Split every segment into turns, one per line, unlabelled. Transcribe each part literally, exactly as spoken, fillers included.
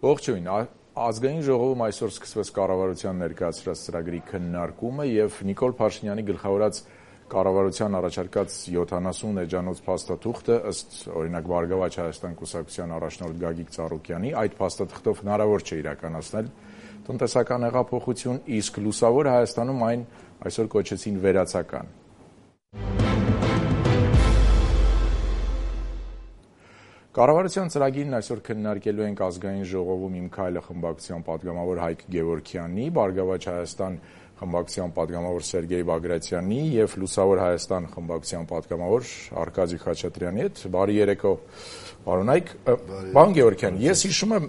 Ողջույն, ազգային ժողովում այսօր սկսվեց կառավարության ներկայացրած ծրագրի քննարկումը եւ Նիկոլ Փաշինյանի գլխավորած կառավարության առաջարկած յոթանասուն էջանոց փաստաթուղթը ըստ օրինակ Բարգավաճ Հայաստան կուսակցության առաջնորդ Գագիկ Ծառուկյանի այդ փաստաթղթով հնարավոր չէ իրականացնել տնտեսական հեղափոխություն, իսկ լուսավոր Հայաստանում այն այսօր կոչեցին վերացական։ Կառավարության ծրագիրն այսօր քննարկելու ենք ազգային ժողովում Իմ քայլը խմբակցության պատգամավոր Հայկ Գևորգյանի, Բարգավաճ Հայաստան խմբակցության պատգամավոր Սերգեյ Բագրատյանի եւ Լուսավոր Հայաստան խմբակցության պատգամավոր Արկադի Խաչատրյանի հետ։ Բարի երեկո, պարոն Հայկ։ Պարոն Գևորգյան, ես հիշում եմ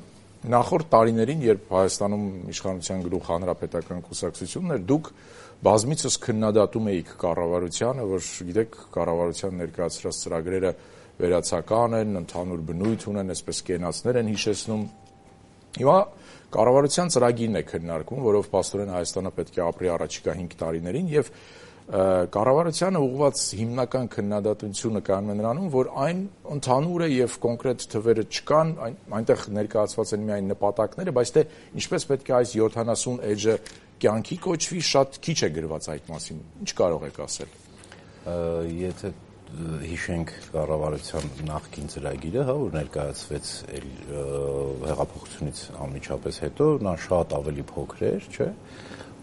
նախորդ տարիներին, երբ Հայաստանում իշխանության գլուխ հանրապետական կուսակցությունն էր, դուք բազմիցս քննադատում էիք կառավարությանը, որ գիտեք, կառավարության ներկայացրած ծրագրերը վերացական են, ընդհանուր բնույթ ունեն, այսպես կենացներ են հիշեցնում։ Հիմա կառավարության ծրագիրն է քննարկվում, որով փաստորեն Հայաստանը պետք է ապրի առաջիկա հինգ տարիներին եւ կառավարությանը ուղղված հիմնական քննադատությունը կայանում է նրանում, որ այն ընդհանուր է եւ կոնկրետ թվերը չկան, այնտեղ ներկայացված են միայն նպատակները, բայց թե ինչպես պետք է այս յոթանասուն էջը կյանքի կոչվի, շատ քիչ է գրված այդ մասին։ Ինչ կարող եք ասել։
Եթե հիշենք կառավարության նախկին ծրագիրը, հա, որ ներկայացվեց հեղափոխությունից անմիջապես հետո, նա շատ ավելի փոքր էր, չէ,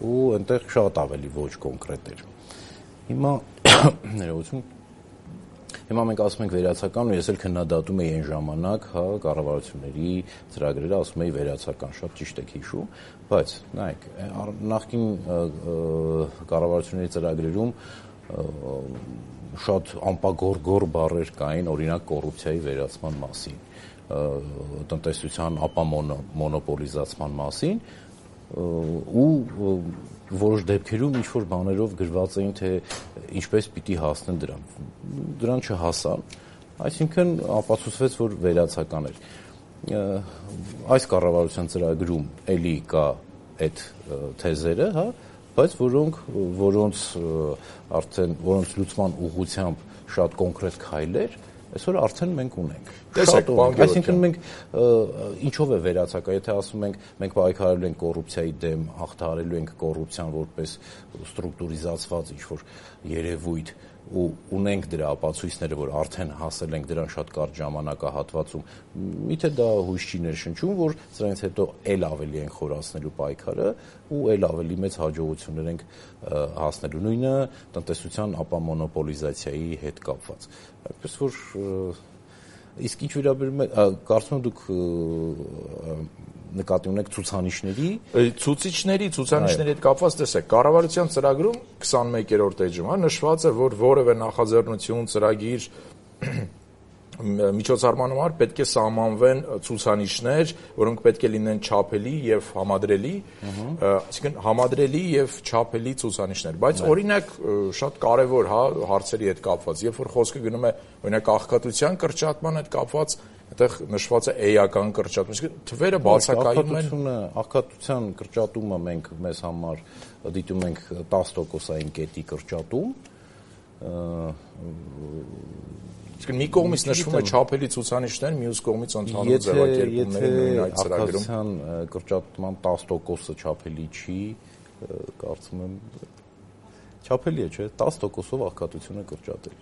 ու այնտեղ շատ ավելի ոչ կոնկրետ էր։ Հիմա ներողություն, հիմա մենք ասում ենք վերացական, ու ես էլ քննադատում էի այն ժամանակ, հա, կառավարությունների ծրագրերը, ասում էի վերացական, շատ ճիշտ եք հիշում, բայց նայեք, նախկին կառավարությունների ծրագրերում շատ անպագորգոր բառեր կային, օրինակ կոռուպցիայի վերացման մասին, տնտեսության ապամոնոպոլիզացման մասին, ու որոշ դեպքերում ինչ-որ բաներով գրված էին, թե ինչպես պիտի հասնեն դրան։ Դրան չհասան, այսինքն ապացուցվեց, որ վերացական էր։ Այս կառավարության ծրագրում էլի կա այդ թեզերը, հա, բայց որոնք որոնց արդեն որոնց լուծման ուղղությամբ շատ կոնկրետ քայլեր այսօր արդեն մենք ունենք։
Տեսեք,
այսինքն մենք ինչով է վերացական, եթե ասում ենք մենք պայքարելու ենք կոռուպցիայի դեմ, հաղթահարելու ենք կոռուպցիան որպես ստրուկտուրիզացված ինչ-որ երևույթ ու ունենք դրա ապացույցները, որ արդեն հասել ենք դրան շատ կարճ ժամանակահատվածում, միթե դա հույս չի ներշնչում, որ սրանից հետո էլ ավելի են խորացնելու պայքարը ու էլ ավելի մեծ հաջողություններ ենք հասնելու, նույնը տնտեսության ապամոնոպոլիզացիայի հետ կապված։ Այսպես որ իսկ ինչ վերաբերում է, կարծում եմ դուք նկատի ունեք ցուցանիշների,
ցուցիչների, ցուցանիշների հետ կապված տեսեք, կառավարության ծրագրում քսանմեկերորդ էջում, հա, նշված է, որ որևէ նախաձեռնություն, ծրագիր միջոցառման համար պետք է սահմանվեն ցուցանիշներ, որոնք պետք է լինեն չափելի եւ համադրելի, այսինքն համադրելի եւ չափելի ցուցանիշներ, բայց օրինակ շատ կարեւոր, հա, հարցերի հետ կապված, երբ որ խոսքը գնում է օրինակ աղքատության կրճատման հետ կապված, այդտեղ նշված է էական կրճատում, այսինքն թվերը բացակայում են։
Աղքատության կրճատումը մենք մեզ համար դիտում ենք տասը տոկոսային կետի կրճատում,
Իսկ մի կողմից նշվում է չափելի ցուցանիշներ, մյուս կողմից ընդհանուր ձևակերպումները նույն այդ ծրագրում։
Աղքատության կրճատման տասը տոկոսը չափելի չի, կարծում եմ չափելի է, չէ՞, տասը տոկոսով աղքատությունը կրճատել,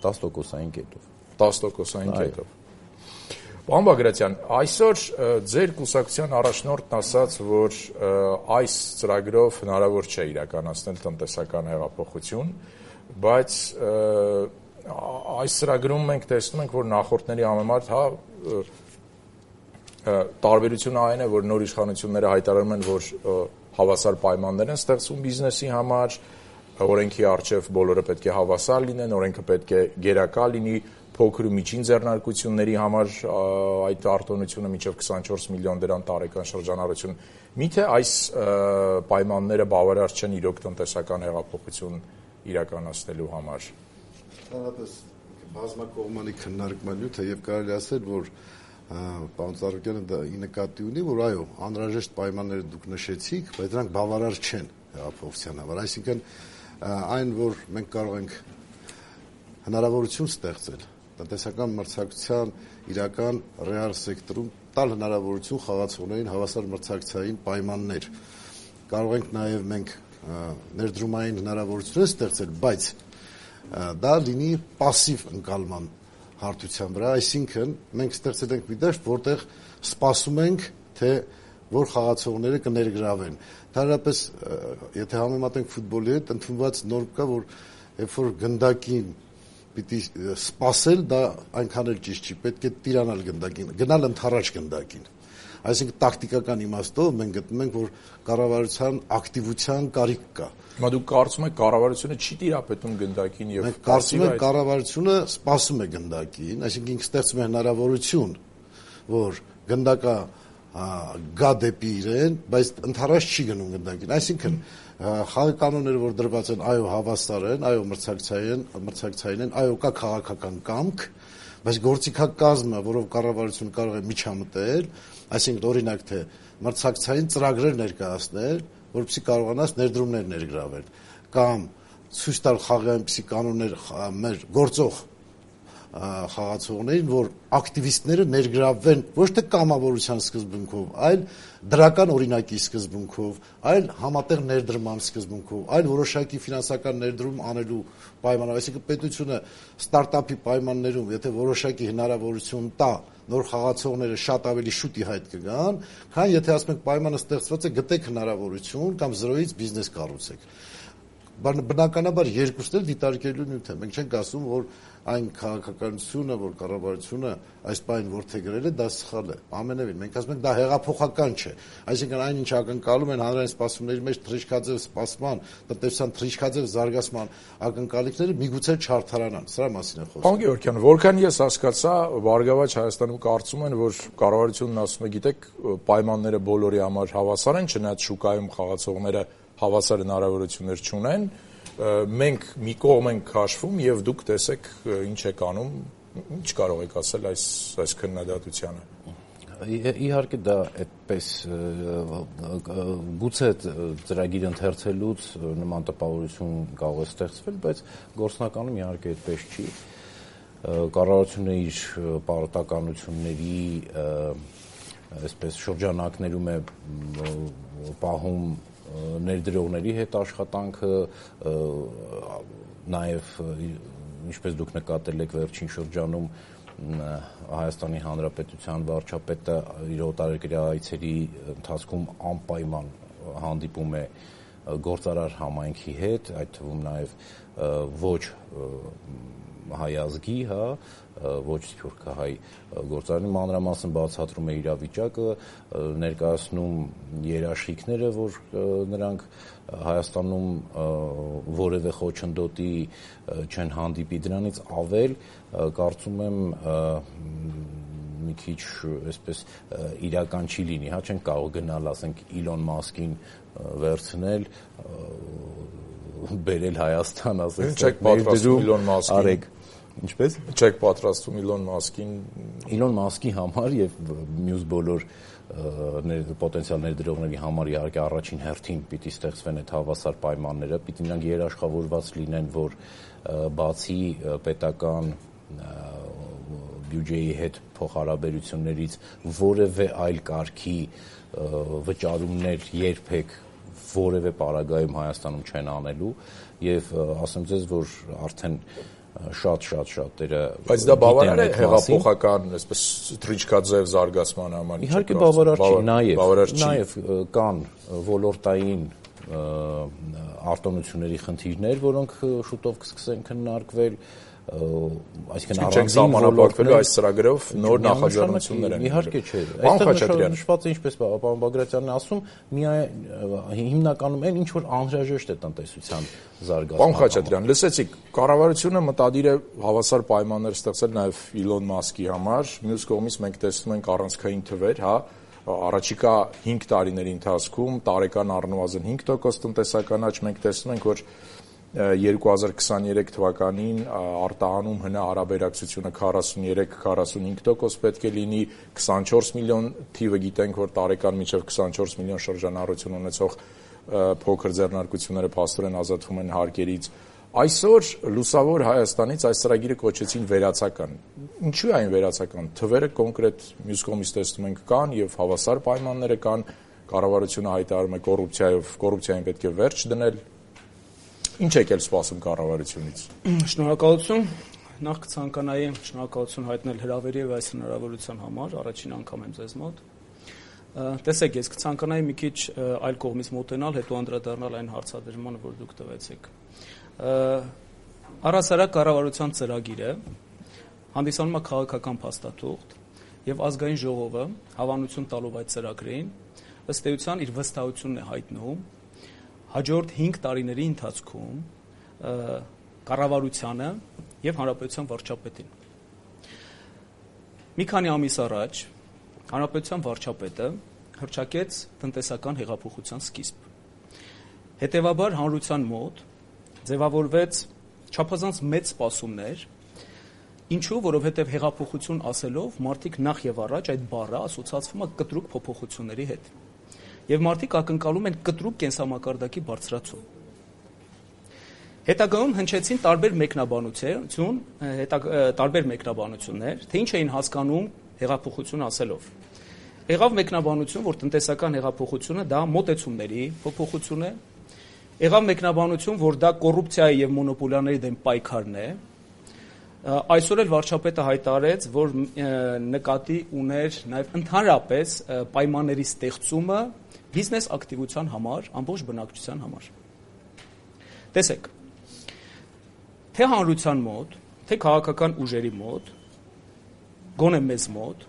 տասը տոկոսային կետով։
տասը տոկոսային կետով։ Պարոն Բագրատյան, այսօր ձեր կուսակցության առաջնորդն ասաց, որ այս ծրագրով հնարավոր չէ իրականացնել տնտեսական հեղափոխություն, բայց այս ծրագրում մենք տեսնում ենք, որ նախորդների համեմատ, հա, տարբերությունը այն է, որ նոր իշխանությունները հայտարարում են, որ հավասար պայմաններ են ստեղծում բիզնեսի համար, օրենքի առջև բոլորը պետք է հավասար լինեն, օրենքը պետք է գերակա լինի, փոքր ու միջին ձեռնարկությունների համար այդ արտոնությունը մինչև քսանչորս միլիոն դրամ տարեկան շրջանառություն։ Միթե այս պայմանները բավարար չեն իրոք տնտեսական հեղափոխություն իրականացնելու համար։
Ընդհանրապես բազմակողմանի քննարկման նյութ է եւ կարելի ասել, որ պարոն Ծառուկյանը դա ի նկատի ունի, որ այո, անհրաժեշտ պայմանները դուք նշեցիք, բայց դրանք բավարար չեն հեղափոխության համար, այսինքն այն, որ մենք կարող ենք հնարավորություն ստեղծել տնտեսական մրցակցության իրական ռեալ սեկտորում տալ հնարավորություն խաղացողներին հավասար մրցակցային պայմաններ։ Կարող ենք նաև մենք ներդրումային հնարավորություններ ստեղծել, բայց դա լինի պասիվ ընկալման հարթության վրա, այսինքն մենք ստեղծել ենք մի դաշտ, որտեղ սպասում ենք, թե որ խաղացողները կներգրավեն։ Ընդհանրապես, եթե համեմատենք ֆուտբոլի հետ, ընդունված նորմ կա, որ երբ որ գնդակին պիտի սպասել, դա այնքան էլ ճիշտ չի, պետք է տիրանալ գնդակին, գնալ ընդառաջ գնդակին։ Այսինքն տակտիկական իմաստով մենք գտնում ենք, որ կառավարության ակտիվության կարիք կա։
Հիմա դուք կարծում եք կառավարությունը չի տիրապետում գնդակին եւ
մենք կարծում ենք կառավարությունը սպասում է գնդակին, այսինքն ինքը ստեղծում է հնարավորություն, որ գնդակը գա դեպի իրեն, բայց ընդառաջ չի գնում գնդակին։ Այսինքն խաղի կանոնները, որ դրված են, այո, հավասար են, այո, մրցակցային, մրցակցային են, այո, կա քաղաքական կամք, բայց գործիքակազմը, որով կառավարությունը կարող է միջամտել, այսինքն օրինակ թե մրցակցային ծրագրեր ներկայացնել, որպեսզի կարողանաս ներդրումներ ներգրավել, կամ ցույց տալ խաղի այնպիսի կանոններ մեր գործող խաղացողներին, որ ակտիվիստները ներգրավվեն ոչ թե կամավորության սկզբունքով, այլ դրական օրինակի սկզբունքով, այլ համատեղ ներդրման սկզբունքով, այլ որոշակի ֆինանսական ներդրում անելու պայմանով, այսինքն պետությունը ստարտափի պայմաններում, եթե որոշակի հնարավորություն տա, նոր խաղացողները շատ ավելի շուտ ի հայտ կգան, քան եթե ասում ենք պայմանը ստեղծված է, գտեք հնարավորություն կամ զրոյից բիզնես կառուցեք։ Բնականաբար երկուսն էլ դիտարկելու նյութ է։ Մենք չենք ասում, որ այն քաղաքականությունը, որ կառավարությունը այս բանին որդեգրել է, դա սխալ է։ Ամենևին մենք ասում ենք դա հեղափոխական չէ։ Այսինքն այն ինչ ակնկալում են հանրային սպասումների մեջ թռիչքաձև սպասման, տնտեսության թռիչքաձև զարգացման ակնկալիքները միգուցե չարդարանան։ Սրա մասին է խոսքը։
Պարոն Գևորգյան, որքան ես հասկացա, Բարգավաճ Հայաստանում կարծում են, որ կառավարությունն ասում է, գիտեք, պայմանները բոլորի համար հավասար են, չնայած շուկայում խաղացողները հավասար հնարավորություններ չունեն, մենք մի կողմ ենք քաշվում եւ դուք տեսեք ինչ եք անում, ինչ կարող եք ասել այս այս քննադատությանը։
Իհարկե դա այդպես գուցե ծրագիր ընթերցելուց նման տպավորություն կարող է ստեղծվել, բայց գործնականում իհարկե այդպես չի։ Կառավարությունը իր պարտականությունների այսպես շրջանակներում է պահում ներդրողների հետ աշխատանքը, նաև ինչպես դուք նկատել եք վերջին շրջանում Հայաստանի Հանրապետության վարչապետը իր օտարերկրյա այցերի ընթացքում անպայման հանդիպում է գործարար համայնքի հետ, այդ թվում նաև ոչ հայ ազգի, հա, ոչ սփյուռքահայ գործարարի մանրամասն բացատրում է իրավիճակը, ներկայացնում երաշխիքները, որ նրանք Հայաստանում որևէ խոչընդոտի չեն հանդիպի, դրանից ավել կարծում եմ մի քիչ այսպես իրական չի լինի, հա, չենք կարող գնալ, ասենք Իլոն Մասկին վերցնել, բերել Հայաստան, ասենք,
չեք պատրաստում Իլոն Մասկին
արեք, ինչպես
չեք պատրաստում Իլոն Մասկին
Իլոն Մասկի համար եւ մյուս բոլոր պոտենցիալ ներդրողների համար իհարկե առաջին հերթին պիտի ստեղծվեն այդ հավասար պայմանները, պիտի նրանք երաշխավորված լինեն, որ բացի պետական բյուջեի հետ փոխհարաբերություններից որևէ այլ կարգի վճարումներ երբեք որևէ պարագայում Հայաստանում չեն անելու եւ ասեմ ձեզ, որ արդեն շատ-շատ շատերը
բայց դա բավարար է հեղափոխական, այսպես թռիչքաձև զարգացման համար։
Իհարկե բավարար չի, նաեւ նաեւ կան ոլորտային արտոնությունների խնդիրներ, որոնք շուտով կսկսեն քննարկվել, այսինքն
առանձին սահմանափակվելու այս ծրագրով նոր նախաձեռնություններ են։
Իհարկե չէ։
Այստեղ
նշված է, ինչպես պարոն Բագրատյանն ասում, միայն հիմնականում այն ինչ որ անհրաժեշտ է տնտեսության զարգացման։
Պարոն Խաչատրյան, լսեցիք, կառավարությունը մտադիր է հավասար պայմաններ ստեղծել նաև Իլոն Մասկի համար, մյուս կողմից մենք տեսնում ենք առանցքային թվեր, հա, առաջիկա հինգ տարիների ընթացքում տարեկան առնվազն հինգ տոկոս տնտեսական աճ մենք տեսնում ենք, որ երկու հազար քսաներեք թվականին արտահանում հնա հարաբերակցությունը քառասուններեք քառասունհինգ տոկոս պետք է լինի, քսանչորս միլիոն թիվը գիտենք, որ տարեկան մինչև քսանչորս միլիոն շրջանառություն ունեցող փոքր ձեռնարկությունները փաստորեն ազատվում են հարկերից, Այսօր լուսավոր Հայաստանից այս ծրագիրը կոչեցին վերացական։ Ինչու է այն վերացական։ Թվերը կոնկրետ մյուս կողմից տեսնում ենք կան եւ հավասար պայմանները կան, կառավարությունը հայտարարում է կոռուպցիայով, կոռուպցիային պետք է վերջ դնել։ Ինչ եկել սպասում կառավարությունից։
Շնորհակալություն։ Նախ կցանկանայի շնորհակալություն հայտնել հրավերի եւ այս հնարավորության համար, առաջին անգամ եմ ձեզ մոտ։ Տեսեք, ես կցանկանայի մի քիչ այլ կողմից մոտենալ, հետո անդրադառնալ այն հարցադրմանը, որ դուք տվեցիք։ Առհասարակ կառավարության ծրագիրը հանդիսանում է քաղաքական փաստաթուղթ եւ ազգային ժողովը հավանություն տալով այդ ծրագրին ըստ էության իր վստահությունն է հայտնում հաջորդ հինգ տարիների ընթացքում կառավարությանը եւ հանրապետության վարչապետին։ Մի քանի ամիս առաջ հանրապետության վարչապետը հռչակեց տնտեսական հեղափոխության սկիզբ։ Հետևաբար հանրության մոտ ձևավորվեց չափազանց մեծ սպասումներ, ինչու, որովհետև հեղափոխություն ասելով մարդիկ նախ եւ առաջ այդ բառը ասոցացվում է կտրուկ փոփոխությունների հետ։ Եվ մարդիկ ակնկալում են կտրուկ կենսամակարդակի բարձրացում։ Հետագայում հնչեցին տարբեր մեկնաբանություն, տարբեր մեկնաբանություններ, թե ինչ էին հասկանում հեղափոխություն ասելով։ Եղավ մեկնաբանություն, որ տնտեսական հեղափոխությունը դա մոտեցումների փոփոխություն է։ Եղավ մեկնաբանություն, որ դա կոռուպցիայի եւ մոնոպոլիաների դեմ պայքարն է։ Այսօր էլ վարչապետը հայտարարեց, որ նկատի ուներ նաեւ ընդհանրապես պայմանների ստեղծումը բիզնես ակտիվության համար, ամբողջ բնակչության համար։ Տեսեք, թե հանրության մոտ, թե քաղաքական ուժերի մոտ, գոնե մեզ մոտ,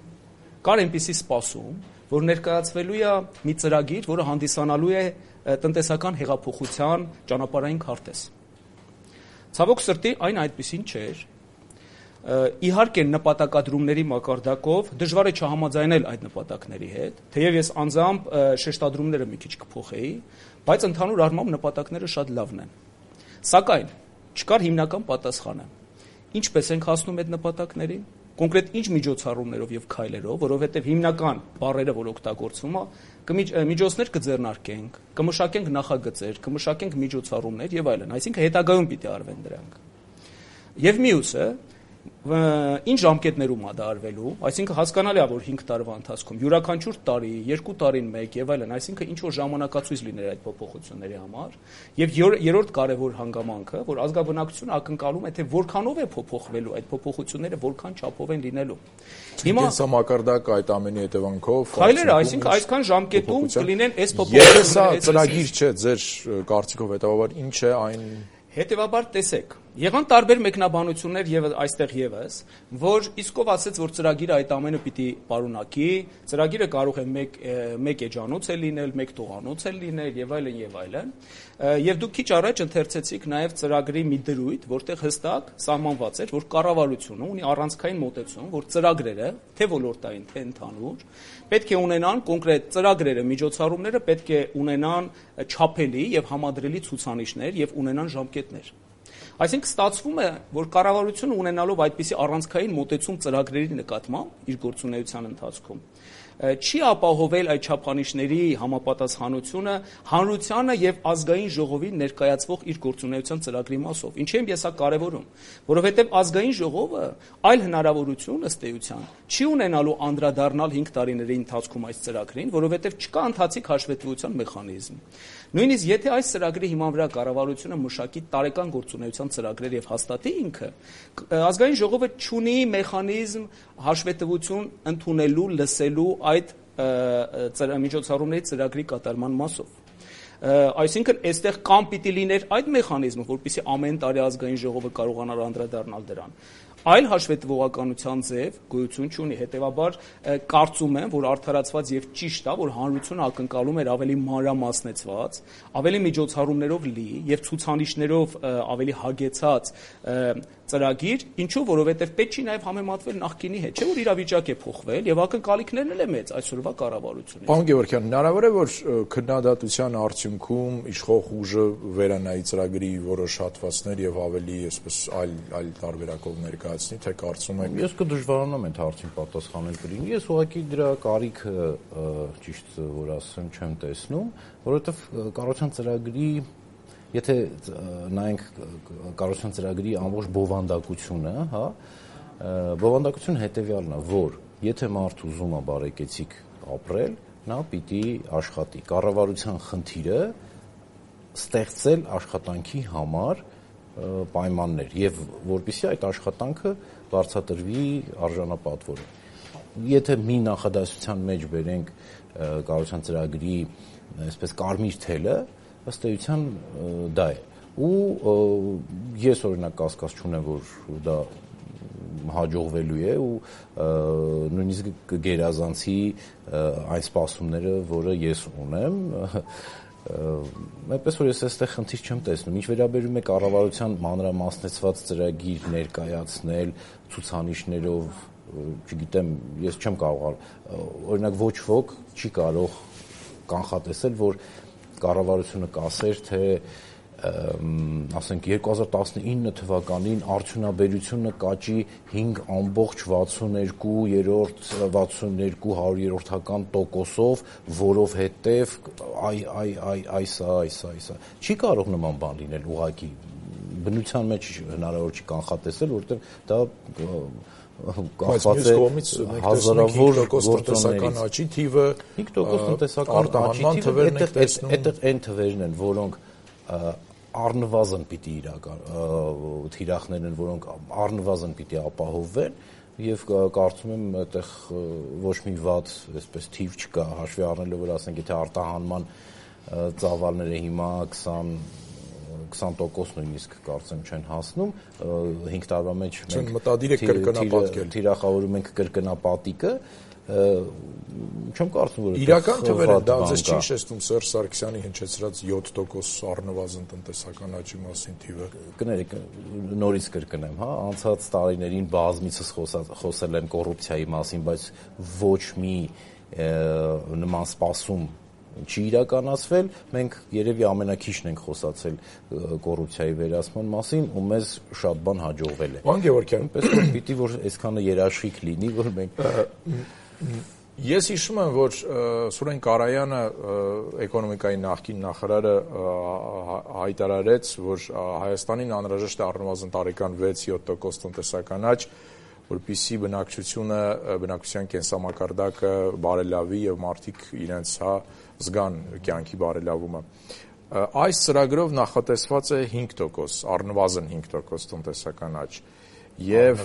կար այնպիսի սպասում, որ ներկայացվելու է մի ծրագիր, որը հանդիսանալու է տնտեսական հեղափոխության ճանապարհային քարտեզ։ Ցավոք սրտի այն այդպիսին չէր։ Իհարկե նպատակադրումների մակարդակով դժվար է չհամաձայնել այդ նպատակների հետ, թեև ես անձամբ շեշտադրումները մի քիչ կփոխեի, բայց ընդհանուր առմամբ նպատակները շատ լավն են։ Սակայն չկար հիմնական պատասխանը։ Ինչպես ենք հասնում այդ նպատակներին։ Կոնկրետ ինչ միջոցառումներով եւ քայլերով, որովհետեւ հիմնական բառերը, որ օգտագործվում է, միջոցներ կձեռնարկենք, կմշակենք նախագծեր, կմշակենք միջոցառումներ եւ այլն, այսինքն հետագայում պիտի արվեն դրանք։ Եվ մյուսը, ինչ ժամկետներում է դա արվելու, այսինքն հասկանալի է, որ հինգ տարվա ընթացքում յուրաքանչյուր տարի, երկու տարին մեկ եւ այլն, այսինքն ինչ որ ժամանակացույց լիներ այդ փոփոխությունների համար, եւ երրորդ կարեւոր հանգամանքը, որ ազգաբնակչությունը ակնկալում է, թե որքանով է փոփոխվելու այդ փոփոխությունները, որքան չափով են լինելու։
Հիմա կենսամակարդակ այդ ամենի հետևանքով
քայլերը, այսինքն այսքան ժամկետում կլինեն այս փոփոխությունները։
Եթե սա ծրագիր չէ, ձեր կարծիքով հետեւաբար ինչ է այն։
Հետևաբար տեսեք, եղան տարբեր մեկնաբանություններ եւ այստեղ եւս, որ իսկով ասեց, որ ծրագիրը այդ ամենը պիտի պարունակի, ծրագիրը կարող է մեկ մեկ էջանոց է լինել, մեկ տողանոց է լինել եւ այլն եւ այլն։ Եվ դուք քիչ առաջ ընթերցեցիք նաեւ ծրագրի մի դրույթ, որտեղ հստակ սահմանված էր, որ կառավարությունը ունի առանցքային մոտեցում, որ ծրագրերը, թե ոլորտային, թե ընդհանուր, պետք է ունենան կոնկրետ ծրագրերը, միջոցառումները պետք է ունենան չափելի եւ համադրելի ցուցանիշներ եւ ունենան ժամկետներ։ Այսինքն ստացվում է, որ կառավարությունը ունենալով այդպիսի առանցքային մոտեցում ծրագրերի նկատմամբ իր գործունեության ընթացքում չի ապահովել այդ չափանիշների համապատասխանությունը հանրությանը եւ ազգային ժողովին ներկայացվող իր գործունեության ծրագրի մասով։ Ինչի՞ եմ ես սա կարևորում, որովհետեւ ազգային ժողովը այլ հնարավորություն ըստ էության չի ունենալու անդրադառնալ հինգ տարիների ընթացքում այս ծրագրին, որովհետեւ չկա ընթացիկ հաշվետվության մեխանիզմ։ Նույնիսկ եթե այս ծրագրի հիման վրա կառավարությունը մշակի տարեկան գործունեության ծրագրեր եւ հաստատի ինքը, ազգային ժողովը չունի մեխանիզմ հաշվետվություն ընդունելու, լսելու այդ միջոցառումների ծրագրի կատարման մասով։ Այսինքն այստեղ կամ պիտի լիներ այդ մեխանիզմը, որպեսզի ամեն տարի ազգային ժողովը կարողանար անդրադառնալ դրան, այլ հաշվետվողականության ձև գոյություն չունի։ Հետևաբար կարծում եմ, որ արդարացված եւ ճիշտ է, որ հանրությունը ակնկալում էր ավելի մանրամասնեցված, ավելի միջոցառումներով լի եւ ցուցանիշներով ավելի հագեցած ծրագիր, ինչու, որովհետեւ պետք չի նաեւ համեմատվել նախկինի հետ, չէ՞ որ իրավիճակ է փոխվել եւ ակնկալիքներն էլ է մեծ այսօրվա կառավարությունից։
Պարոն Գևորգյան, հնարավոր է, որ քննադատության արդյունքում իշխող ուժը վերանայի ծրագրի որոշ հատվածներ եւ ավելի, այսպես այլ այլ տարբերակով ներկայացնի, թե կարծում եք։
Ես կդժվարանամ այդ հարցին պատասխանել կլինի։ Ես ուղղակի դրա կարիքը ճիշտ որ ասեմ չեմ տեսնում, որովհետեւ կառավարության ծրագրի եթե նայենք կառավարության ծրագրի ամբողջ բովանդակությունը, հա, բովանդակությունը հետեւյալն է, որ եթե մարդ ուզում է բարեկեցիկ ապրել, նա պիտի աշխատի։ Կառավարության խնդիրը ստեղծել աշխատանքի համար պայմաններ եւ որպեսզի այդ աշխատանքը բարձրատրվի արժանապատվորը։ Եթե մի նախադասության մեջ բերենք կառավարության ծրագրի այսպես կարմիր թելը, ըստ էության դա է։ Ու ես օրինակ կասկած չունեմ, որ դա հաջողվելու է ու նույնիսկ կգերազանցի այն սպասումները, որը ես ունեմ, այնպես որ ես այստեղ խնդիր չեմ տեսնում։ Ինչ վերաբերում է կառավարության մանրամասնեցված ծրագիր ներկայացնել ցուցանիշներով, չգիտեմ, ես չեմ կարող, օրինակ ոչ ոք չի կարող կանխատեսել, որ կառավարությունը կասեր, թե ասենք երկու հազար տասնինը թվականին արդյունաբերությունը կաճի հինգ ամբողջ վաթսունեքու երրորդ վաթսունեքու հարյուրորդական տոկոսով, որովհետև այ այ այ այսա այսա այսա չի կարող նման բան լինել ուղղակի բնության մեջ հնարավոր չի կանխատեսել, որովհետև դա
կախված է հազարավոր տնտեսական աճի թիվը
հինգ տոկոս տնտեսական աճի թիվը այդտեղ այն թվերն են, որոնք առնվազն պիտի իրական թիրախներ են, որոնք առնվազն պիտի ապահովվեն եւ կարծում եմ այդտեղ ոչ մի վատ այսպես թիվ չկա հաշվի առնելով որ ասենք եթե արտահանման ծավալները հիմա քսան տոկոս նույնիսկ կարծեմ չեն հասնում հինգ տարվա մեջ
մենք մտադիր եք կրկնապատկել
թիրախավորում ենք կրկնապատիկը չեմ կարծում որ
իրական թվերը դա ձեզ չի շեշտում Սերժ Սարգսյանի հնչեցրած յոթ տոկոս առնվազն տնտեսական աճի մասին թիվը
կներեք նորից կրկնեմ հա անցած տարիներին բազմիցս խոսել եմ կոռուպցիայի մասին բայց ոչ մի նման սպասում չի իրականացվել մենք երևի ամենակիչն ենք խոսացել կոռուպցիայի վերացման մասին ու մեզ շատ բան հաջողվել է
Պարոն Գևորգյան
այնպես որ պիտի որ այսքանը երաշխիք լինի որ մենք
Ես հիշում եմ, որ Սուրեն Կարայանը էկոնոմիկայի նախկին նախարարը հայտարարեց, որ Հայաստանին անհրաժեշտ է առնվազն տարեկան վեց-յոթ տոկոս տնտեսական աճ, որպեսզի բնակչությունը, բնակչության կենսամակարդակը բարելավի եւ մարդիկ իրենց հա զգան կյանքի բարելավումը։ Այս ծրագրով նախատեսված է հինգ տոկոս, առնվազն հինգ տոկոս տնտեսական աճ։ Եվ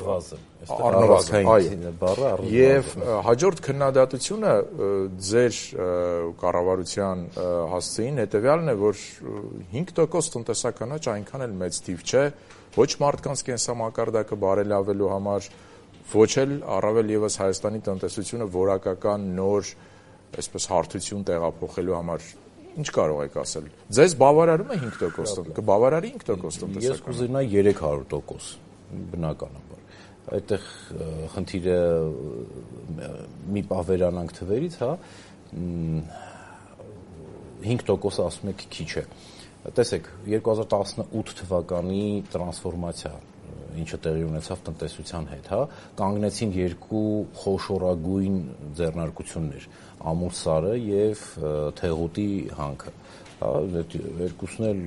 առնվազն այո
եւ հաջորդ քննադատությունը ձեր կառավարության հասցեին հետեւյալն է որ հինգ տոկոս տնտեսական աճ այնքան էլ մեծ թիվ չէ ոչ մարդկանց կենսամակարդակը բարելավելու համար ոչ էլ առավել եւս Հայաստանի տնտեսությունը որակական նոր այսպես հարթություն տեղափոխելու համար Ինչ կարող եք ասել ձեզ բավարարում է հինգ տոկոս կբավարարի հինգ տոկոս տնտեսական
Ես կուզենայի երեք հարյուր տոկոս բնականաբար այդտեղ խնդիրը մի պահ վերանանք թվերից հա հինգ տոկոս ասում եք քիչ է տեսեք երկու հազար տասնութ թվականի տրանսֆորմացիա ինչը տեղի ունեցավ տնտեսության հետ հա կանգնեցին երկու խոշորագույն ձեռնարկություններ ամուսարը եւ թեղուտի հանքը հա երկուսն էլ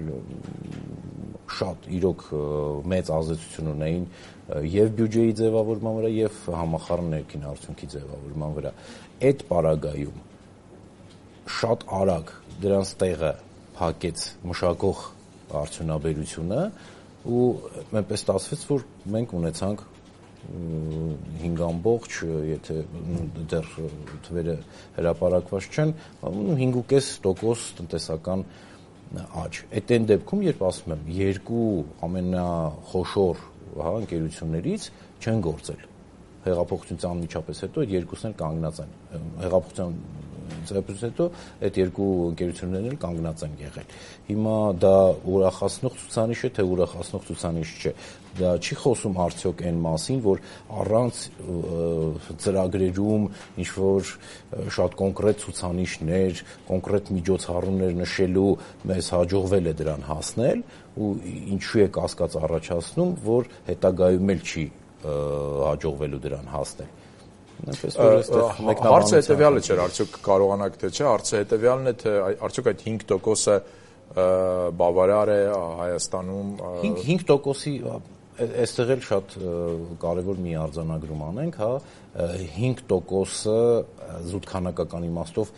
շատ իրոք մեծ ազդեցություն ունեին եւ բյուջեի ձևավորման վրա եւ համախառն ներքին արդյունքի ձևավորման վրա այդ պարագայում շատ արագ դրանց տեղը փակեց մշակող արդյունաբերությունը ու այնպես ստացվեց որ մենք ունեցանք հինգ ամբողջ եթե դեռ թվերը հրապարակված չեն հինգ ու կես տոկոս տնտեսական աճ այդ այն դեպքում երբ ասում եմ երկու ամենախոշոր հա ընկերություններից չեն գործել հեղափոխությունից անմիջապես հետո այդ երկուսն էլ կանգնած են հեղափոխության ծրագրից հետո այդ երկու ընկերություններն էլ կանգնած են եղել հիմա դա ուրախացնող ցուցանիշ է թե ուրախացնող ցուցանիշ չէ դա չի խոսում արդյոք այն մասին որ առանց ծրագրերում ինչ որ շատ կոնկրետ ցուցանիշներ կոնկրետ միջոցառումներ նշելու մեզ հաջողվել է դրան հասնել ու ինչու է կասկած առաջացնում որ հետագայում էլ չի հաջողվելու դրան հասնել
Հարցը հետևյալը չէր, արդյոք կարողանաք թե չէ, հարցը հետևյալն է, թե արդյոք այդ հինգ տոկոսը բավարար է Հայաստանում
հինգ տոկոսի այստեղ էլ շատ կարևոր մի արձանագրում անենք, հա, հինգ տոկոսը զուտ քանակական իմաստով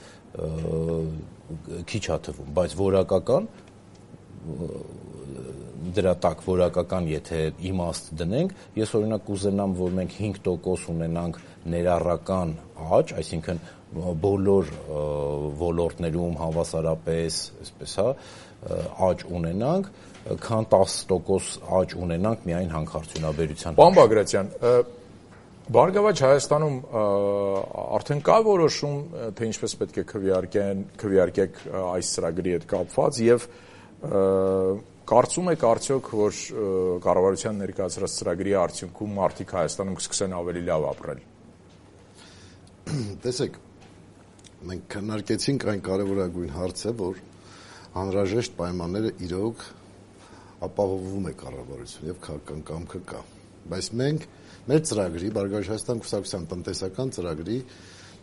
քիչ է թվում, բայց որակական դրա տակ որակական եթե իմաստ դնենք, ես օրինակ կուզենամ, որ մենք հինգ տոկոս ունենանք ներառական աճ, այսինքն բոլոր ոլորտներում հավասարապես, այսպես հա, աճ ունենանք, քան տասը տոկոս աճ ունենանք միայն հանքարդյունաբերության։
Պարոն Բագրատյան, Բարգավաճ Հայաստանում արդեն կա որոշում, թե ինչպես պետք է քվեարկեք այս ծրագրի հետ կապված եւ կարծում եք արդյոք, որ կառավարության ներկայացրած ծրագրի արդյունքում մարդիկ Հայաստանում կսկսեն ավելի լավ ապրել։
Տեսեք, մենք քննարկեցինք այն կարևորագույն հարցը, որ անհրաժեշտ պայմանները իրոք ապահովում է կառավարություն եւ քաղաքական կամքը կա։ Բայց մենք մեր ծրագրի, Բարգավաճ Հայաստան կուսակցության տնտեսական ծրագրի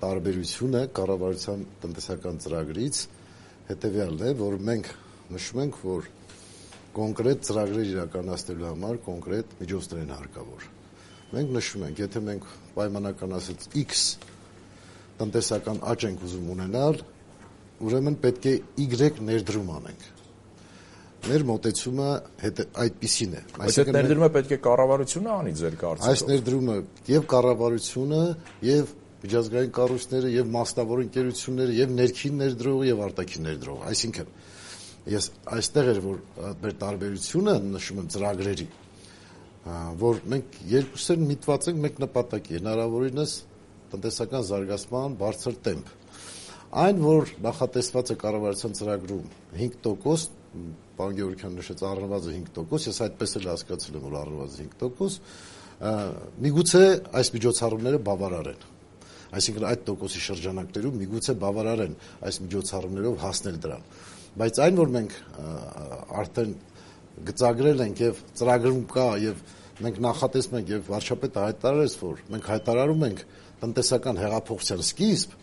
տարբերությունը կառավարության տնտեսական ծրագրից հետեւյալն է, որ մենք նշում ենք, որ կոնկրետ ծրագրեր իրականացնելու համար կոնկրետ միջոցներ են հարկավոր։ Մենք նշում ենք, եթե մենք պայմանական ասած X տնտեսական աճ ենք ուզում ունենալ, ուրեմն պետք է Y ներդրում անենք։ Մեր մոտեցումը այդպիսին է։
Այս այդ ներդրումը պետք է կառավարությունը անի ձեր կարծիքով։
Այս ներդրումը եւ կառավարությունը եւ միջազգային կառույցները եւ մասնավոր ընկերությունները եւ ներքին ներդրողը եւ արտաքին ներդրողը, այսինքն ես այստեղ էր որ մեր տարբերությունը նշում եմ ծրագրերի, որ մենք երկուսն միտված ենք մեկ նպատակի, հնարավորինս տնտեսական զարգացման բարձր տեմպ։ Այն որ նախատեսված է կառավարության ծրագրում հինգ տոկոս, պարոն Գևորգյան նշեց առնվազն հինգ տոկոս, ես այդպես էլ հասկացել եմ, որ առնվազն հինգ տոկոս, միգուցե այս միջոցառումները բավարար են։ Այսինքն այդ տոկոսի շրջանակներում միգուցե բավարար են այս միջոցառումներով հասնել դրան։ Բայց այն որ մենք արդեն գծագրել ենք եւ ծրագրում կա եւ մենք նախատեսում ենք եւ վարչապետը հայտարարեց, որ մենք հայտարարում ենք տնտեսական հեղափոխության սկիզբ,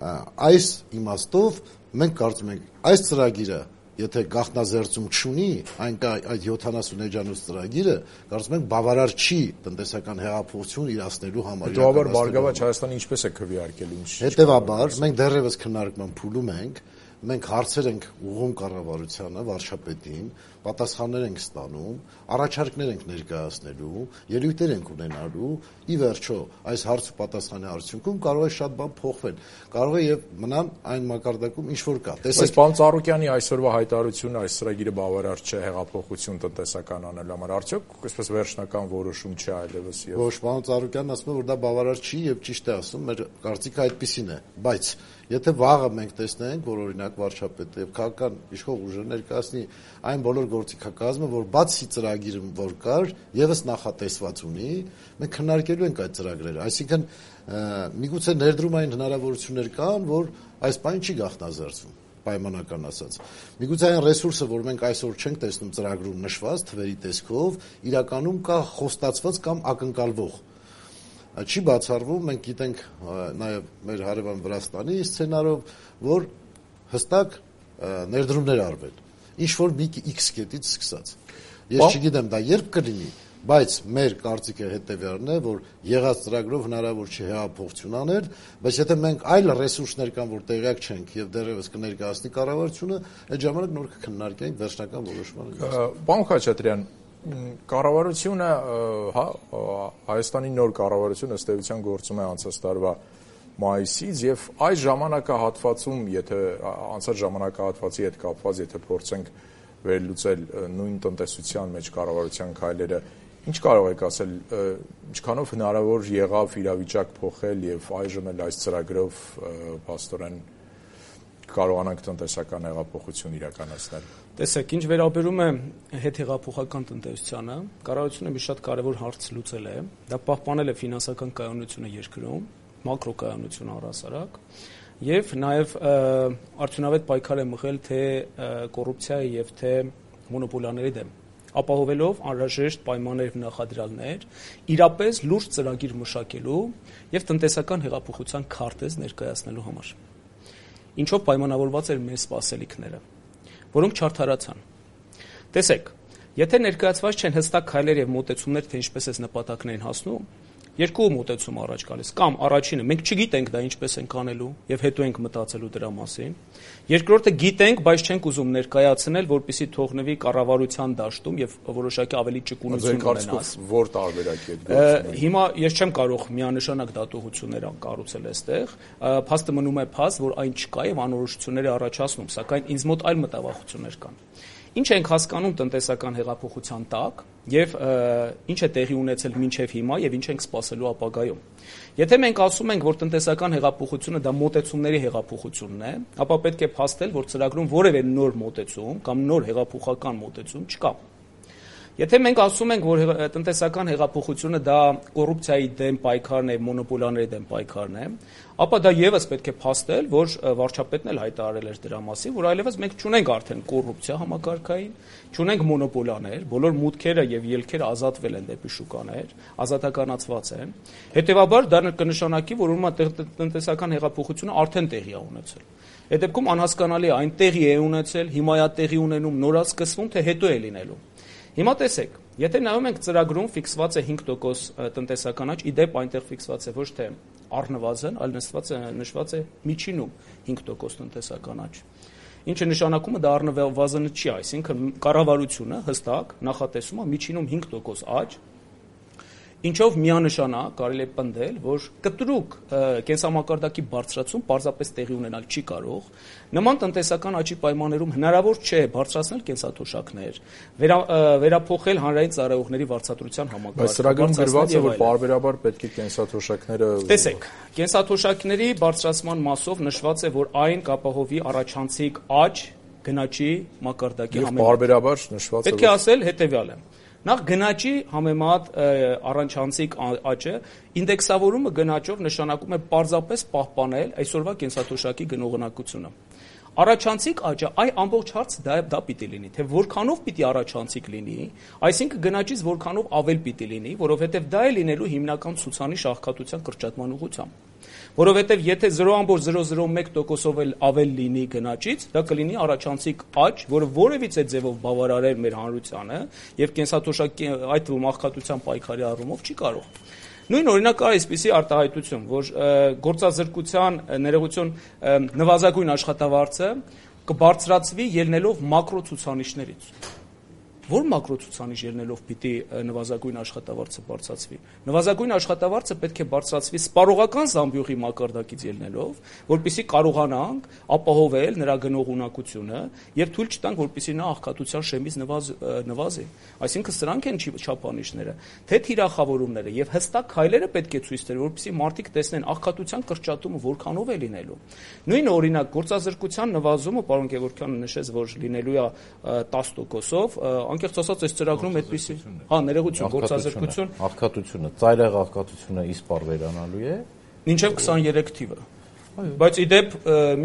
այս իմաստով մենք կարծում ենք այս ծրագիրը եթե գաղտնազերծում չունի, այն կա այդ յոթանասուն էջանոց ծրագիրը, կարծում ենք բավարար չի տնտեսական հեղափոխություն իրացնելու համար։
Հետևաբար Բարգավաճ Հայաստանը ինչպես է քվեարկել ինչ։
Հետևաբար մենք դեռևս քննարկման փուլում ենք, մենք հարցեր ենք ուղղում կառավարությանը, վարչապետին, պատասխաններ ենք ստանում, առաջարկներ ենք ներկայացնելու, ելույթներ ենք ունենալու, ի վերջո այս հարց ու պատասխանի արդյունքում կարող է շատ բան փոխվել, կարող է եւ մնան այն մակարդակում ինչ որ կա։
Տեսեք, պարոն Ծառուկյանի այսօրվա հայտարարությունը այս ծրագիրը բավարար չէ հեղափոխություն տնտեսական անելու համար, արդյոք այսպես վերջնական որոշում չի այլևս եւ։
Ոչ, պարոն Ծառուկյանն ասում է, որ դա բավարար չի եւ ճիշտ է ասում, մեր կարծիքը այդպեսին է, բայց եթե վաղը մենք տեսնենք, որ օրինակ վարչապետը եւ քաղաքական իշխող ուժերը ներկայացնի այն բոլոր գործիքակազմը, որ բացի ծրագիրը որ կար, եւս նախատեսված ունի, մենք քննարկելու ենք այդ ծրագրերը, այսինքն միգուցե ներդրումային հնարավորություններ կան, որ այս բանը չի գաղտնազերծվում, պայմանական ասած։ Միգուցե այն ռեսուրսը, որ մենք այսօր չենք տեսնում ծրագրում նշված թվերի տեսքով, իրականում կա խոստացված կամ ակնկալվող։ Չի բացառվում, մենք գիտենք նաև մեր հարևան Վրաստանի սցենարով, որ հստակ ներդրումներ արվել, ինչ որ մի X կետից սկսած։ Ես չգիտեմ դա երբ կլինի, բայց մեր կարծիքը հետևյալն է, որ եղած ծրագրով հնարավոր չէ հեղափոխություն անել, բայց եթե մենք այլ ռեսուրսներ կան, որ տեղյակ չենք եւ դեռևս կներկայացնի կառավարությունը, այդ ժամանակ նոր կքննարկենք վերջնական որոշման։
Պարոն Խաչատրյան, կառավարությունը, հա, Հայաստանի նոր կառավարությունը ըստ էության գործում է անցած տարվա մայիսից եւ այս ժամանակահատվածում, եթե անցած ժամանակահատվածի հետ կապված, եթե փորձենք վերլուծել նույն տնտեսության մեջ կառավարության քայլերը, ինչ կարող եք ասել, ինչքանով հնարավոր եղավ իրավիճակ փոխել եւ այժմ էլ այս ծրագրով փաստորեն կարողանանք տնտեսական հեղափոխություն իրականացնել։
Տեսեք, ինչ վերաբերում է հետհեղափոխական տնտեսությանը, կառավարությունը մի շատ կարևոր հարց լուծել է, դա պահպանել է ֆինանսական կայունությունը երկրում, մակրոկայունությունը առհասարակ, եւ նաեւ արդյունավետ պայքար է մղել թե կոռուպցիայի եւ թե մոնոպոլիաների դեմ, ապահովելով անհրաժեշտ պայմաններ եւ նախադրյալներ, իրապես լուրջ ծրագիր մշակելու եւ տնտեսական հեղափոխության քարտեզ ներկայացնելու համար։ Ինչով պայմանավորված էր մեր սպասելիքները։ որոնք չարդարացան։ Տեսեք, եթե ներկայացված չեն հստակ քայլեր եւ մոտեցումներ, թե ինչպես է նպատակներին հասնում, երկու մոտեցում առաջ գալիս, կամ առաջինը մենք չգիտենք դա ինչպես ենք անելու եւ հետո ենք մտածելու դրա մասին։ Երկրորդը գիտենք, բայց չենք ուզում ներկայացնել, որպեսզի թողնվի կառավարության դաշտում եւ որոշակի ավելի ճկունություն ունենաս։
Որ տարբերակի է գործում։
Հիմա ես չեմ կարող միանշանակ դատողություններ կառուցել այստեղ, փաստը մնում է փաստ, որ այն չկա եւ անորոշություններ է առաջացնում, սակայն ինձ մոտ այլ մտավախություններ կան։ Ինչ ենք հասկանում տնտեսական հեղափոխության տակ եւ ինչ է տեղի ունեցել մինչեւ հիմա եւ ինչ ենք սպասելու ապագայում։ Եթե մենք ասում ենք, որ տնտեսական հեղափոխությունը դա մոտեցումների հեղափոխությունն է, ապա պետք է փաստել, որ ծրագրում որևէ նոր մոտեցում կամ նոր հեղափոխական մոտեցում չկա։ Եթե մենք ասում ենք, որ տնտեսական հեղափոխությունը դա կոռուպցիայի դեմ պայքարն է, մոնոպոլիաների դեմ պայքարն է, ապա դա եւս պետք է փաստել, որ վարչապետն էլ հայտարարել էր դրա մասին, որ այլևս մենք չունենք արդեն կոռուպցիա համակարգային, չունենք մոնոպոլիաներ, բոլոր մուտքերը եւ ելքերը ազատվել են դեպի շուկաներ, ազատականացված են։ Հետևաբար դա կնշանակի, որ ուրեմն տնտեսական հեղափոխությունը արդեն տեղի է ունեցել։ Այդ դեպքում անհասկանալի է, այն տեղի է ունեցել, հիմա է տեղի ունենում, նորա սկսվում, թե հետո է լինելու։ Հիմա տեսեք, եթե նայում ենք ծրագրում ֆիքսված է հինգ տոկոս տնտեսական աճ, իդեպ այնտեղ ֆիքսված է ոչ թե առնվազն, այլ նշված է նշված է միջինում հինգ տոկոս տնտեսական աճ։ Ինչը նշանակում է դա առնվազնը չի, այսինքն կառավարությունը հստակ նախատեսում է միջինում հինգ տոկոս աճ, ինչով միանշանակ կարելի է պնդել, որ կտրուկ կենսամակարդակի բարձրացում պարզապես տեղի ունենալ չի կարող, նման տնտեսական աճի պայմաններում հնարավոր չէ բարձրացնել կենսաթոշակներ, վերա, վերափոխել հանրային ծառայողների վարձատրության համակարգը։
Բայց ծրագրում գրված է, որ պարբերաբար պետք է կենսաթոշակները
Տեսեք, կենսաթոշակների բարձրացման մասով նշված է, որ այն կապահովի առաջանցիկ աճ գնաճի մակարդակի
համեմատ։ Եվ պարբերաբար նշված է,
պետք է ասել հետևյալը։ Նախ գնաճի համեմատ առանցանցիկ աճը ինդեքսավորումը գնաճով նշանակում է պարզապես պահպանել այսօրվա կենսաթոշակի գնողունակությունը։ Առաջանցիկ աճը այ ամբողջ հարց դա դա պիտի լինի, թե որքանով պիտի առաջանցիկ լինի, այսինքն գնաճից որքանով ավել պիտի լինի, որովհետև դա է լինելու հիմնական ցուցանիշ աղքատության կրճատման ուղղությամբ։ Որովհետև եթե զրո կόμμα զրո զրո մեկ տոկոսով էլ ավել լինի գնաճից, դա կլինի առաջանցիկ աճ, որը որևիցե ձևով բավարարեր մեր հանրությանը եւ կենսաթոշակի այդ թվում աղքատության պայքարի առումով չի կարող։ Նույն օրինակ կա այսպիսի արտահայտություն, որ գործազրկության ներողություն նվազագույն աշխատավարձը կբարձրացվի ելնելով մակրո ցուցանիշներից։ Որ մակրո ցուցանիշ ելնելով պիտի նվազագույն աշխատավարձը բարձրացվի։ Նվազագույն աշխատավարձը պետք է բարձրացվի սպառողական զամբյուղի մակարդակից ելնելով, որպեսզի կարողանանք ապահովել նրա գնողունակությունը եւ թույլ չտանք, որպեսզի նա աղքատության շեմից նվազ, նվազի։ Այսինքն սրանք են չափանիշները, թե թիրախավորումները եւ հստակ քայլերը պետք է ցույց տեն, որպեսզի մարդիկ տեսնեն աղքատության կրճատումը որքանով է լինելու։ Նույն օրինակ գործազրկության նվազումը, պարոն Գևորգյանը նշեց, որ լինելու է տասը տոկոսով, անկեղծ ասած այս ծրագրում այդպեսի, հա, ներողություն, գործազրկություն,
աղքատությունը, ծայրահեղ աղքատությունը իսպառ վերանալու է
մինչև քսաներեք թիվը։ Բայց իդեպ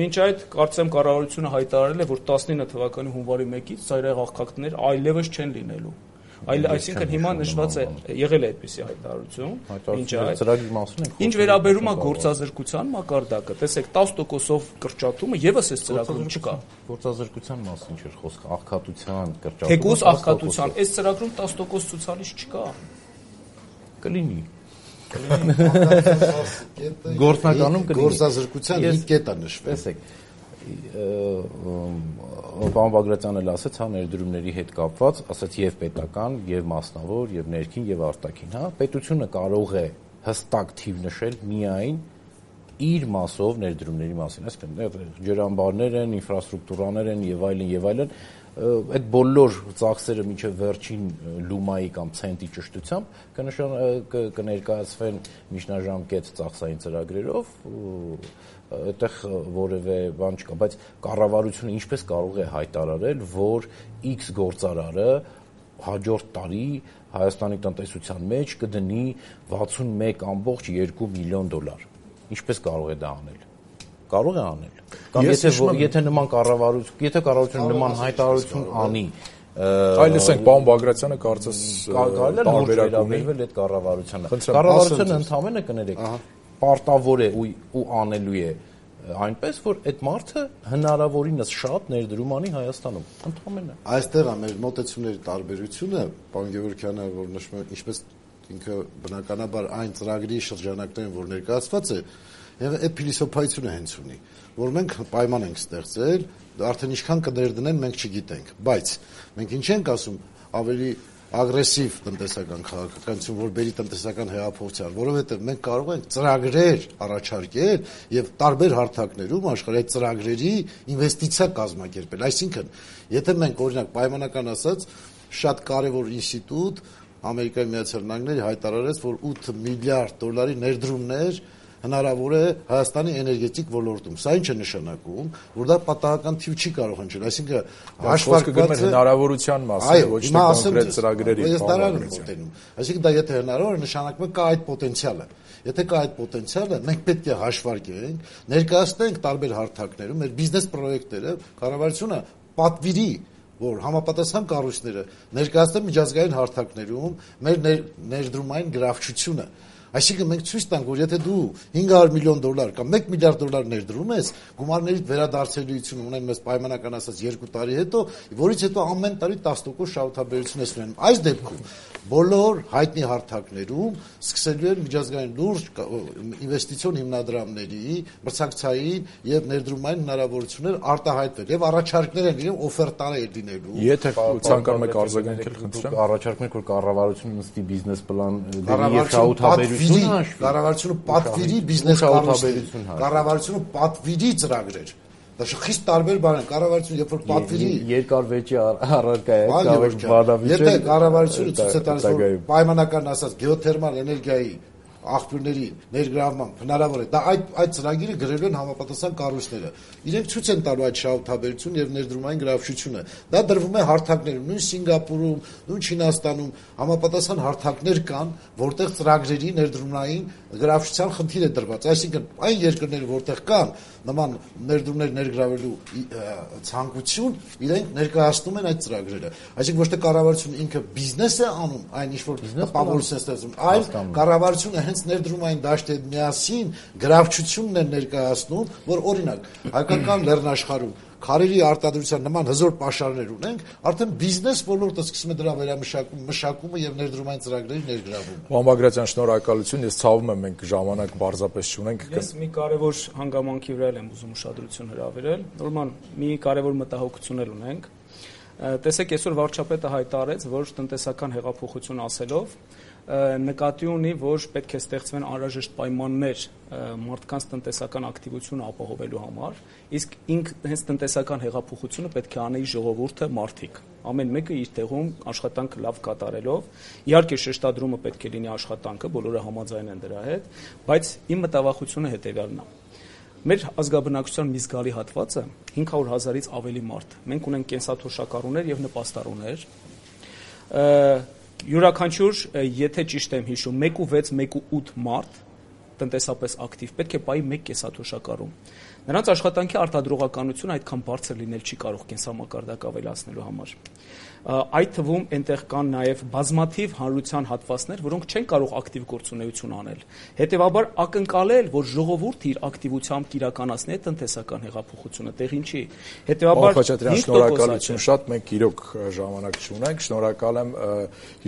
մինչ այդ կարծեմ կառավարությունը հայտարարել է, որ տասնինը թվականի հունվարի մեկից ծայրահեղ աղքատներ այլևս չեն լինելու։ Այլ այսինքն հիմա նշված է եղել է այդպիսի հայտարարություն, ինչ այդ
ծրագրի մասին է։
Ինչ վերաբերում է գործազրկության մակարդակը, տեսեք տասը տոկոսով կրճատումը եւս այս ծրագրում չկա։
Գործազրկության մասին չէր խոսքը, աղքատության կրճատումը։
Թեկուզ աղքատության, այս ծրագրում տասը տոկոս ցուցանիշ չկա։
Կլինի։ Գործնականում կլինի։
Գործազրկության հինգ կետ է նշվել։
Տեսեք, պարոն Բագրատյանն էլ ասեց, հա, ներդրումների հետ կապված, ասեց եւ պետական, եւ մասնավոր, եւ ներքին, եւ արտաքին, հա, պետությունը կարող է հստակ թիվ նշել միայն իր մասով ներդրումների մասին, այսինքն ջրամբարներ են, ինֆրաստրուկտուրաներ են եւ այլն եւ այլն, այդ բոլոր ծախսերը մինչև վերջին լումայի կամ ցենտի ճշտությամբ կնշան կներկայացվեն միջնաժամկետ ծախսային ծրագրերով, այդտեղ որևէ բան չկա, բայց կառավարությունը ինչպես կարող է հայտարարել, որ X գործարարը հաջորդ տարի Հայաստանի տնտեսության մեջ կդնի վաթսունմեկ կόμμα երկու միլիոն դոլար։ Ինչպես կարող է դա անել։ Կարող է անել։ Կամ եթե եթե նման կառավարություն, եթե կառավարությունը նման հայտարարություն անի,
այլ լսենք, պարոն Բագրատյանը կարծես
տարբերակ ունի այդ կառավարությանը։ Կառավարությունը ընդհանրապես կներեք, պարտավոր է ու անելու է այնպես, որ այդ մարդը հնարավորինս շատ ներդրում անի Հայաստանում, ընդհանրապես։
Այստեղ է մեր մոտեցումների տարբերությունը, պարոն Գևորգյանը, որ նշում է, ինչպես ինքը բնականաբար այն ծրագրի շրջանակներում, որ ներկայացված է, եւ այդ փիլիսոփայությունը հենց ունի, որ մենք պայման ենք ստեղծել, արդեն ինչքան կներդնեն մենք չգիտենք, բայց մենք ինչ ենք ասում, ավելի ագրեսիվ տնտեսական քաղաքականություն, որ բերի տնտեսական հեղափոխության, որովհետև մենք կարող ենք ծրագրեր առաջարկել եւ տարբեր հարթակներում աշխարհի այդ ծրագրերի ինվեստիցիա կազմակերպել։ Այսինքն, եթե մենք օրինակ պայմանական ասած շատ կարևոր ինստիտուտ Ամերիկայի Միացյալ Նահանգները հայտարարեց, որ ութ միլիարդ դոլարի ներդրումներ հնարավոր է Հայաստանի էներգետիկ ոլորտում։ Սա ինչ է նշանակում, որ դա պատահական թիվ չի կարող հնչել, այսինքն
հաշվարկված է հնարավորության մասին, ոչ թե կոնկրետ ծրագրերի
բաղադրություն։ Այսինքն դա եթե հնարավոր է, նշանակում է կա այդ պոտենցիալը։ Եթե կա այդ պոտենցիալը, մենք պետք է հաշվարկենք, ներկայացնենք տարբեր հարթակներում մեր բիզնես պրոյեկտները, կառավարությունը պատվիրի, որ համապատասխան կառույցները ներկայացնեն միջազգային հարթակներում մեր ներդրումային գրավչությունը։ Այսինքն մենք ցույց տանք, որ եթե դու հինգ հարյուր միլիոն դոլար կամ մեկ միլիարդ դոլար ներդրում ես, գումարների վերադարձելիություն ունեն մեզ պայմանական ասած երկու տարի հետո, որից հետո ամեն տարի տասը տոկոս շահութաբերություն ես ունենում։ Այս դեպքում բոլոր հայտնի հարթակներում սկսելու են միջազգային լուրջ ինվեստիցիոն հիմնադրամների մրցակցային եւ ներդրումային հնարավորություններ արտահայտվել եւ առաջարկներ են իրեն օֆերտաներ լինելու։
Եթե ցանկանում եք արձագանքել, խնդրեմ,
առաջարկում եք, որ կառավարությունը նստի բիզնես պլան դեպի շահութաբերություն
կառավարությունը պատվիրի բիզնես կառույցներ, կառավարությունը պատվիրի ծրագրեր։ Դա խիստ տարբեր բան է, կառավարությունը երբ որ պատվիրի
երկար վեճի առարկա է, կարող բանավիճ։
Եթե կառավարությունը ցույց է տալիս, որ պայմանական ասած գեոթերմալ էներգիայի աղբյուրների ներգրավման հնարավոր է, դա այդ այդ ծրագիրը գրելու են համապատասխան կառույցները։ Իրենք ցույց են տալու այդ շահութաբերությունը եւ ներդրումային գրավչությունը։ Դա դրվում է հարթակներում, նույն Սինգապուրում, նույն Չինաստանում համապատասխան հարթակներ կան, որտեղ ծրագրերի ներդրումային գրավչության խնդիր է դրված։ Այսինքն այն երկրները, որտեղ կան նման ներդրումներ ներգրավելու ցանկություն, իրենք ներկայացնում են այդ ծրագրերը։ Այսինքն ոչ թե կառավարությունը ինքը բիզնես է անում, այն ինչ որ տպավորություն է ստեղծում, այլ կառավարությունը հենց ներդրումային դաշտի հետ միասին գրավչությունն են ներկայացնում, որ օրինակ հայկական լեռնաշխարհում քարերի արտադրության նման հզոր պաշարներ ունենք, արդեն բիզնես ոլորտը սկսում է դրա վերամշակումը, մշակումը եւ ներդրումային ծրագրերի ներգրավումը։
Պարոն Բագրատյան, շնորհակալություն, ես ցավում եմ մենք ժամանակ պարզապես չունենք։
Ես մի կարևոր հանգամանքի վրա եմ ուզում ուշադրություն հրավիրել, նորմալ մի կարևոր մտահոգություն էլ ունենք։ Տեսեք, այսօր վարչապետը հայտարարեց, որ տնտեսական հեղափոխություն ասելով նկատի ունի, որ պետք է ստեղծվեն անհրաժեշտ պայմաններ մարդկանց տնտեսական ակտիվությունը ապահովելու համար, իսկ ինք հենց տնտեսական հեղափոխությունը պետք է անի ժողովուրդը, մարդիկ, ամեն մեկը իր տեղում աշխատանքը լավ կատարելով, իհարկե շեշտադրումը պետք է լինի աշխատանքը, բոլորը համաձայն են դրա հետ, բայց իմ մտավախությունը հետևյալն է։ Մեր ազգաբնակչության մի զգալի հատվածը հինգ հարյուր հազարից ավելի մարդ։ Մենք ունենք կենսաթոշակառուներ եւ նպաստառուներ։ Յուրաքանչյուր, եթե ճիշտ եմ հիշում, մեկ ու վեց, մեկ ու ութ մարդ տնտեսապես ակտիվ պետք է պայի մեկ կենսաթոշակառու։ Նրանց աշխատանքի արտադրողականությունը այդքան բարձր լինել չի կարող կենսամակարդակ ավելացնելու համար։ Այդ թվում այնտեղ կան նաև բազմաթիվ հանրության հատվածներ, որոնք չեն կարող ակտիվ գործունեություն անել։ Հետևաբար ակնկալել, որ ժողովուրդը իր ակտիվությամբ կիրականացնի այդ տնտեսական հեղափոխությունը, տեղին չի։ Հետևաբար
շնորհակալություն շատ, մենք իրոք ժամանակ չունենք։ Շնորհակալ եմ,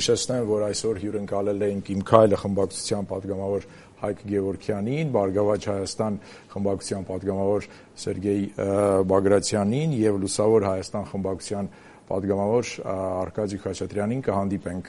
հիշեցնեմ, որ այսօր հյուրընկալել էինք «Իմ քայլը» խմբակցության պատգամավոր Հայկ Գևորգյանին, «Բարգավաճ Հայաստան» խմբակցության պատգամավոր Սերգեյ Բագրատյանին եւ «Լուսավոր Հայաստան» խմբակցության պատգամավոր Արկադի Խաչատրյանին։ Կհանդիպենք